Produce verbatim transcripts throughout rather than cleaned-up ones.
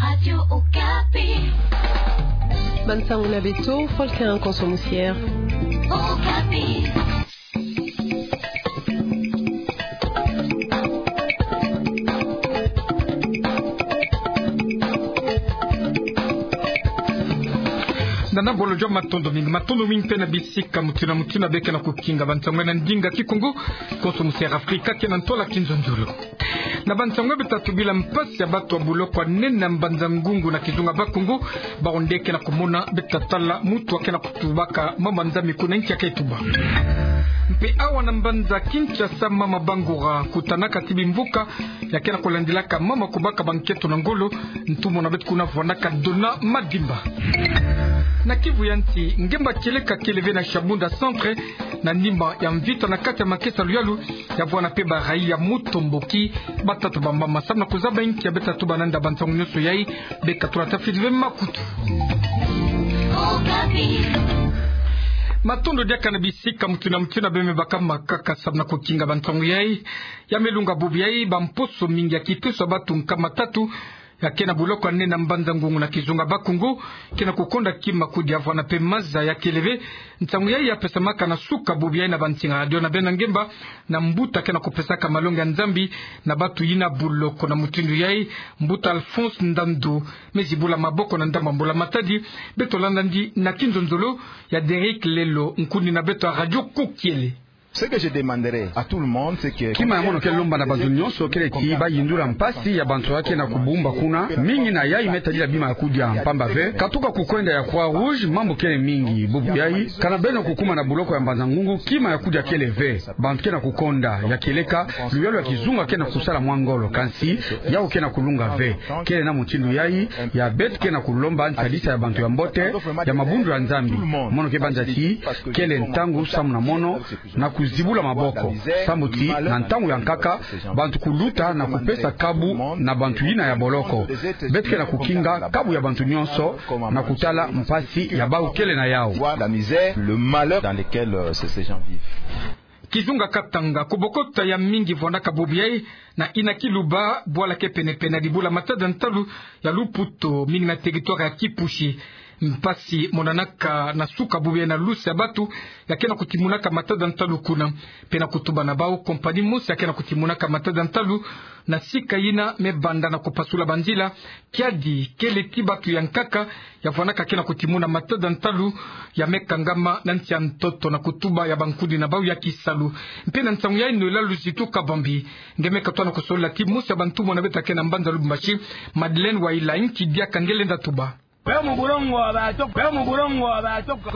Radio Okapi. Bansango na beto, Volker Nkonso Musiere. Okapi. Nana bolo jwa matondo mingi, matondo mingi mpe na bisika mutindu na mutindu beke na kukinga bansango na ndinga Kikongo, Nkonso Musiere Afrika ke na ntwala Kinzonzolo. Na bansango beto tubila mpasi ya bato ya buloko ya nene ya mbanza Ngungu na kizunga Bakongo, bawu nde ke na kumona beto tala mutu ake na kutubaka mama Nzambi kuna nki ake tuba. Mpe awa na mbanza Kinshasa, mama Bangura kutanaka ti bimvuka ya ke na kulandilaka mama kubaka bankento na ngolo, ntumwa na beto kuna vwandaka Dona Madimba. Na Kivu ya nsi, ngemba kieleka kele ve na Shabunda Centre, na nima ya mvita na kati ya makesa luyalu, ya vwanda mpe baraia ya Mutomboki, batata bambama. Samu na kuzaba nki ya beto tatuba na nda bansango nyonso yai, beka tula tafidi ve makutu. Matondo diaka na bisika mutindu na mutindu beno me baka makaka samu na kukinga bansango yai. Ya me lunga bubu yai, bamposo mingi ya kiteso ya bato nkama tatu ya ke na buloko ya nene ya mbanza Ngungu na kizunga Bakongo ke na kukonda kima kudia, vwanda mpe maza ya kele ve. Nsangu yai ya pesamaka na suka bubu yai na bansinga radio na beno na ngemba na mbuta ke na kupesaka malongi ya Nzambi na bato yina buloko. Na mutindu yai, mbuta Alphonse Ndandu me zibula maboko na ndambu ya mbula matadi. Beto landa ndi na kinzonzolo ya Derrick Lelo, nkundi na beto ya Radio Kokiele. Ce que je demanderai à tout le monde, c'est que... Kima ya mono ke lomba na bantu nyonso kele ti bayindula mpasi ya bantu ya ke na kubumba kuna, mingi na yai me tadila bima ya kudia, mpamba ve katuka kukwenda ya Croix Rouge, mambu kele mingi bubu yai. Kana beno kukuma na buloko ya mbanza Ngungu, kima ya kudia kele ve. Bantu ke na kukonda, ya kieleka luyalu ya kizunga ke na kusala mwa ngolo, kansi yau ke na kulunga ve. Kele na mutindu yai ya beto ke na kulomba nsadisa ya bantu ya mbote ya mabundu ya Nzambi. Mono ke banza ti kele ntangu samu na mono na kuzibula maboko, sambu ti na ntangu ya nkaka bantu kuluta na kupesa kabu na bantu yina ya boloko. Beto ke na kukinga kabu ya bantu nyonso na kutala mpasi ya bau kele na yau. La misère, le malheur dans lesquels, euh, ces, ces gens vivent. Kizunga Katanga, kubokota ya mingi vwandaka bubu yai na Ina Kiluba, bwala ke penepene ya dibula matadi ya ntalu ya Luputo, mingi na territoire ya Kipushi. Mpasi monanaka na suka bubu yai na lusi ya bato ya ke na kutimunaka matadi ya ntalu kuna. Mpe na kutuba na bau, kompani mosi ya ke na kutimunaka matadi ya ntalu na sika yina me banda na kupasula banzila. Kiadi kele ti bato ya nkaka ya vwandaka ke na kutimuna matadi ya ntalu ya me kangama na nsi ya ntoto, na kutuba ya bankundi na bau ya kisalu. Mpe na nsangu yai, Noëlla Luzitu Kabambi nge me katuka na kusolola ti mosi ya bantumwa na beto ya ke na mbanza Lubumbashi, Madeleine Waila, nki diaka nge lenda tuba.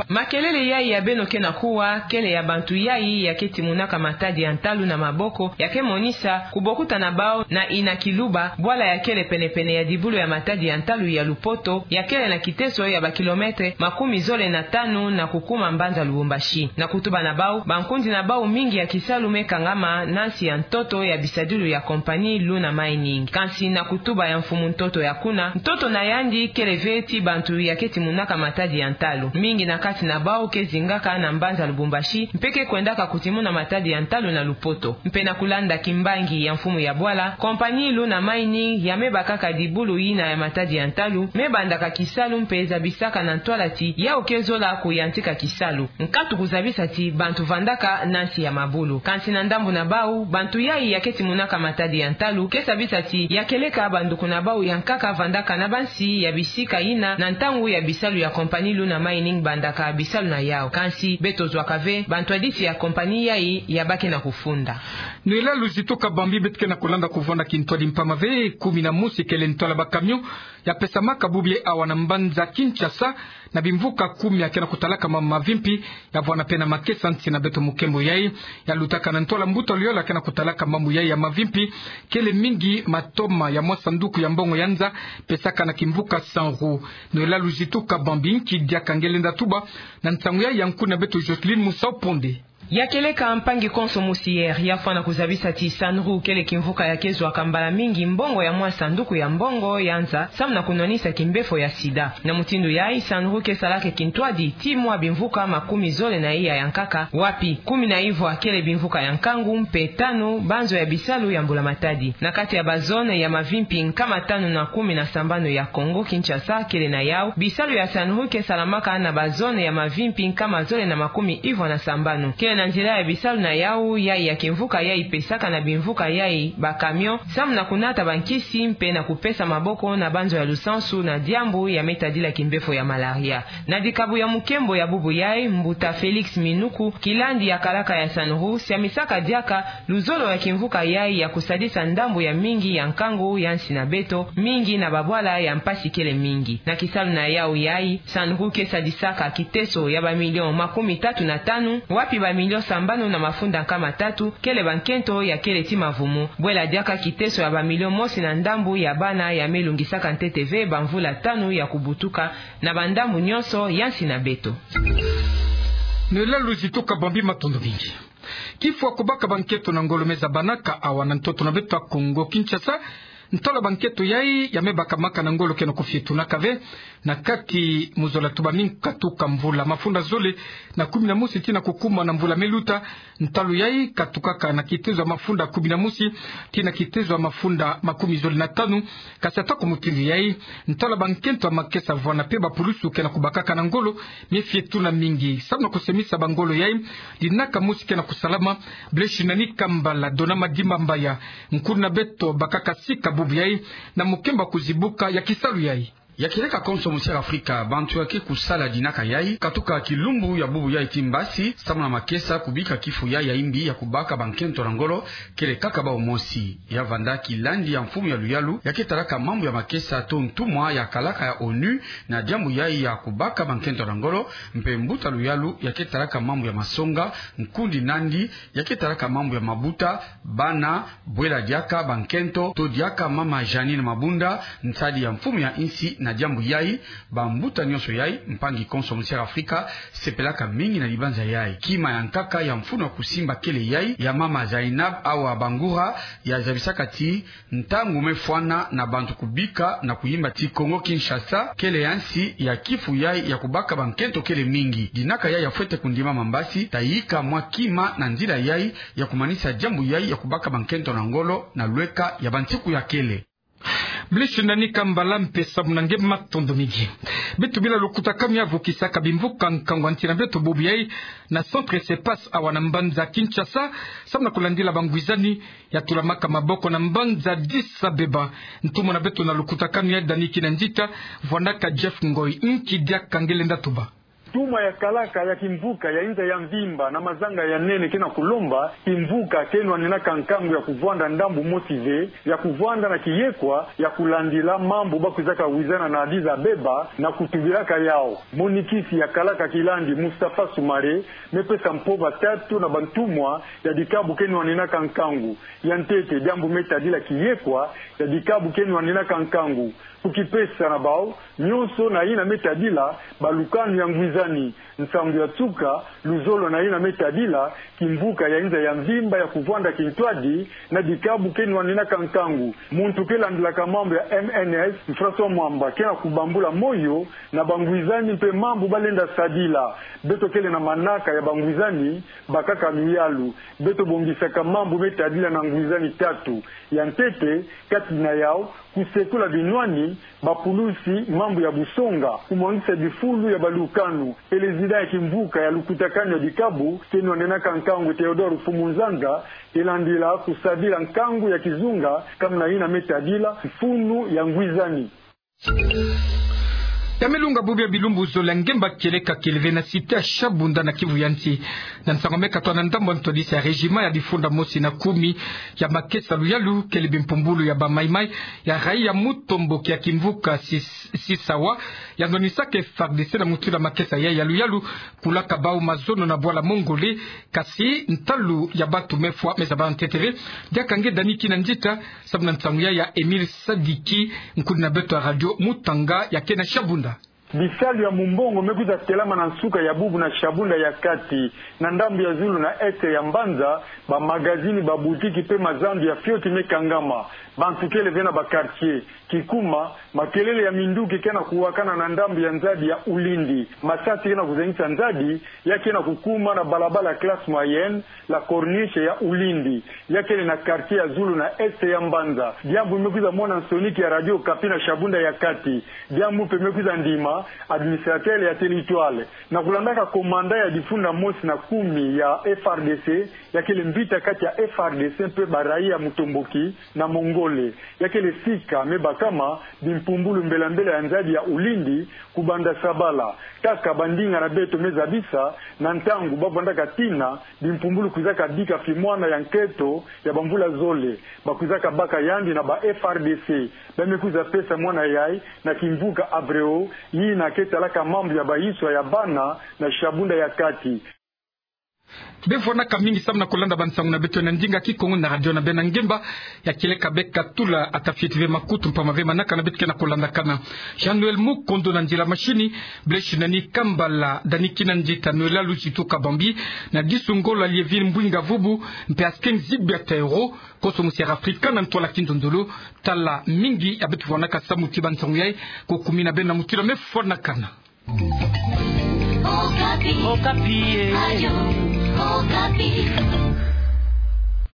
Makelele yai ya beno ke na kuwa, kele ya bantu yai ya ke timunaka matadi ya ntalu na maboko, ya ke monisa kubokota na bau na Ina Kiluba, bwala ya kele penepene ya dibulu ya matadi ya ntalu ya Lupoto, ya kele na kiteso ya ba kilomètre makumi zole na tanu na kukuma mbanza Lubumbashi. Na kutuba na bau, bankundi na bau mingi ya kisalu me kangama na nsi ya ntoto ya bisadilu ya kompani Luna Mining. Kansi na kutuba ya mfumu ntoto ya kuna, ntoto na yandi kele ve ti bantu ya ke timunaka matadi ya ntalu. Mingi na kati na bau ke zingaka na mbanza Lubumbashi, mpe ke kwendaka kutimuna matadi ya ntalu na Lupoto. Mpe na kulanda kimbangi ya mfumu ya bwala, kompani Luna Mining ya me bakaka dibulu yina ya matadi ya ntalu, me bandaka kisalu mpe zabisaka na ntwala ti yau ke zola kuyantika kisalu. Nkatu kuzabisa ti bantu vandaka na nsi ya mabulu. Kansi na ndambu na bau, bantu yai ya ke timunaka matadi ya ntalu ke zabisa ti ya kieleka banduku na bau ya nkaka vandaka na bansi ya bisika yina na ntangu ya bisalu ya kompani Luna Mining bandaka bisalu na yau. Kansi beto zwaka ve bantu ya disi ya kompani yai ya ba ke na kufunda. Noëlla Luzitu Kabambi, beto ke na kulanda kuvwanda kintwadi mpamba ve, kumi na mosi kele ntwala ba camion ya pesamaka bubu yai awa na mbanza Kinshasa, na bimvuka kumi ya ke na kutalaka ma mavimpi, ya vwanda mpe na makesa nsi na beto mukembo yai, ya lutaka na ntwala mbuta luyolo ya ke na kutalaka mambu yai ya mavimpi, kele mingi matoma ya mwa sanduku ya mbongo ya nza, pesaka na kimvuka cent euros. Noëlla Luzitu Kabambi, nki diaka nge lenda tuba na nsangu yai ya nkundi na beto Jocelyne Musau Ponde. Ya kieleka mpangi konso musiere, ya fwana kuzabisa ti SANRU kele kimvuka ya kezwaka mbala mingi mbongo ya mwa sanduku ya mbongo ya nza, samu na kunwanisa kimbefo ya sida. Na mutindu yayi, SANRU kesalaka kintwadi ti mwa bimvuka makumi zole na iya ya nkaka, wapi kumi na ivwa kele bimvuka ya nkangu, mpe tanu banzo ya bisalu ya mbula-matadi. Na kati ya bazone ya mavimpi nkama tanu na kumi na sambanu ya Kongo-Kinshasa kele na yau, bisalu ya SANRU kesalamaka na bazone ya mavimpi nkama zole na makumi ivwa na sambanu. Kele na nzila ya bisalu na yau, yayi ya kimvuka yayi pesaka na bimvuka yayi bakamion, samu na kunata bankisi mpe na kupesa maboko na banzo ya lusansu na diambu ya me tadila kimbefo ya malaria. Na dikabu ya mukembo ya bubu yayi, mbuta Félix Minuku, kilandi ya kalaka ya SANRU, siamisaka diaka luzolo ya kimvuka yayi ya kusadisa ndambu ya mingi ya nkangu ya nsi na beto, mingi na babwala ya mpasi kele mingi. Na kisalu na yau yayi, SANRU kesadisaka kiteso ya bamilion makumi tatu na tanu, wapi bamilion sambanu na mafunda nkama tatu kele bankento ya kele ti mavumu, bwela diaka kiteso ya bamilion mosi na ndambu ya bana ya me lungisaka ntete ve bamvula tanu ya kubutuka na bandambu nyonso ya nsi na beto. Nela luzitu kabambi, matondo mingi. Kifo ya kubaka bankento na ngolo me zabanaka awa na ntoto na beto ya Kongo-Kinshasa. Ntalu ya bankento yayi ya me bakamaka na ngolo ke na kufietunaka ve na kati muzola tubami nkatu ka mvula mafunda zole na kumi na mosi tii na kukuma na mvula me luta. Ntalu yayi katukaka na kitezo ya mafunda kumi na mosi tii na kitezo ya mafunda makumi zole na tanu. Kasi ata kumutindu yayi, ntalu ya bankento ya makesa vwana mpe bapulusu ke na kubakaka na ngolo me fietuna mingi. Samu na kusemisa bangolo yayi, dinaka mosi ke na kusalama. Blaise Nani Kambala, Dona Madimba Mbaya, nkulu na beto bakaka sika bubu yayi na mukembo ya kuzibuka ya kisalu yayi. Ya kieleka konso musiere Afrika, bantu ya ke kusala dinaka yayi, katuka kilumbu ya bubu yayi tii mbasi, samu na makesa kubika kifo yayi ya imbi ya kubaka bankento na ngolo, kele kaka bawu mosi. Ya vanda kilandi ya mfumu ya luyalu ya ke talaka mambu ya makesa to ntumwa ya kalaka ya ONU na diambu yayi ya kubaka bankento na ngolo, mpe mbuta luyalu ya ke talaka mambu ya masonga, nkundi nandi ya ke talaka mambu ya mabuta, bana, bwela diaka bankento, to diaka mama Jeanine Mabunda, nsadi ya mfumu ya insi. Na diambu yayi, bambuta nyonso yayi, mpangi konso musiere Afrika sepelaka mingi na libanza yayi. Kima ya nkaka ya mfunu ya kusimba kele yayi ya mama Zainab Awa Bangura, ya zabisaka ti ntangu me fwana na bantu kubika na kuyimba ti Kongo-Kinshasa kele ya nsi ya kifu yayi ya kubaka bankento kele mingi. Dinaka yayi ya fwete kundimama mbasi, ta yika mwa kima na nzila yayi ya kumanisa diambu yayi ya kubaka bankento na ngolo na lweka ya bantiku ya kele. Blaise Nani Kambala, mpe samu na nge, matondo mingi. Beto bila lukutakanu ya vukisaka bimvuka nkangu ya nti na beto bubu yayi na centre Sepas awa na mbanza Kinshasa, samu na kulandila bangwizani ya tulamaka maboko na mbanza Addis Abeba. Ntumwa na beto na lukutakanu yayi, Dani Kinanzita, vwandaka Jeff Ngoy. Nki diaka nge lenda tuba? Ntumwa ya kalaka ya kimvuka ya inza ya mvimba na mazanga ya nene ke na kulomba kimvuka ke nwanenaka nkangu ya kuvwanda ndambu mosi ve, ya kuvwanda na kiyekwa ya kulandila mambu ba kwizaka wizana na Addis Abeba na kutubilaka yawu. Monikisi ya kalaka kilandi, Mustafa Soumare, me pesa mpova tatu na bantumwa ya dikabu ke nwanenaka nkangu. Ya ntete, diambu me tadila kiyekwa ya dikabu ke nwanenaka nkangu, kukipesa na bawu nyonso na yina me tadila balukanu ya ngwizani. Nsangu ya nsuka, luzolo na yina me tadila kimvuka ya inza ya mvimba ya kuvwanda kintwadi na dikabu ke nwanenaka nkangu. Muntu ke landilaka mambu ya M N S, François Mwamba, ke na kubambula moyo na bangwizani mpe mambu ba lenda sadila. Beto kele na manaka ya bangwizani, bakaka luyalu. Beto bongisaka mambu me tadila na ngwizani tatu. Ya ntete, kati na yawu, kusekula binwani, bapulusi mambu ya busonga, kumwangisa bifulu ya balukanu. Président ya kimvuka ya lukutakanu ya dikabu ke nwanenaka nkangu, Théodore Mfumu Nzanza, ke landila kusadila nkangu ya kizunga kamuna yina me tadila mfunu ya ngwizani. Ya me lunga bubu ya bilumbu zole, ngemba kieleka kele ve na cité ya Shabunda na Kivu ya nsi. Na nsangu me katwa na ndambu ya ntwadisi ya régiment ya bifunda mosi na kumi ya makesa luyalu, kele bimpumbulu ya ba Maï-Maï ya rayi ya mutomboki ya kimvuka Sis-, Sisawa, ya nwanisaka F A R D C na mutindu ya makesa ya, ya luyalu, kulaka bawu mazono na bwala Mongolé. Kasi ntalu ya bantu me fwa me zaba ntete ve. Diaka nge Dani Kinanzita, samu na nsangu ya, ya Émile Sadiki, nkulu na beto ya Radio Mutanga ya ke na Shabunda. Bisalu ya mumbongo me kwiza telama na nsuka ya bubu na Shabunda ya kati. Na ndambu ya zulu na est ya mbanza, bamagazini, babutiki mpe mazandu ya fioti me kangama. Bantu kele ve na ba quartier. Kikuma, makelele ya minduki ke na kuwakana na ndambu ya nzadi ya Ulindi. Masasi ke na kuzengisa nzadi, ya ke na kukuma na balabala ya classe moyenne, la Corniche ya Ulindi, ya kele na quartier ya zulu na est ya mbanza. Diambu me kwiza mona nsoniki ya Radio Okapi na Shabunda ya kati. Diambu mpe me kwiza ndima administrateur ya territoire. Na kulandaka komanda ya difunda mosi na kumi ya F R D C, ya kele mbita kati ya F R D C mpe baraia ya mutomboki na Mongole. Ya kele sika me bakama bimpumbulu mbela-mbela ya nzadi ya Ulindi, kubanda sabala. Kaka bandinga na beto me zabisa, na ntangu ba vandaka tina bimpumbulu kwizaka bika fimwana ya nketo ya bamvula zole, bakwizaka baka yandi na ba F R D C. Ba me kwiza pesa mwana yai na kimvuka abreo, yina ke talaka mambu ya bayiswa ya bana na Shabunda ya kati. Bevwanaka mingi samu na kulanda bansangu na beto na ndinga Kikongo na radio na beno na ngemba ya kieleka. Beka tula ata fioti ve makutu mpamba ve manaka na beto ke na kulandakana. Jean Noël Mukondo na nzila mashini, Blaise Nani Kambala, Dani Kinanjita, Noëlla Luzitu Kabambi, na Disu Ngola, Lievine Mbwinga Vubu, mpe Asken Zibia Tairo, Koso Musiara Afrika na ntwala Kinzonzolo. Tala mingi ya beto vwanaka samu ti bansangu yai, ko kumi na beno na mutu la mefwanakana. Okapi. Okapi, eh. Radio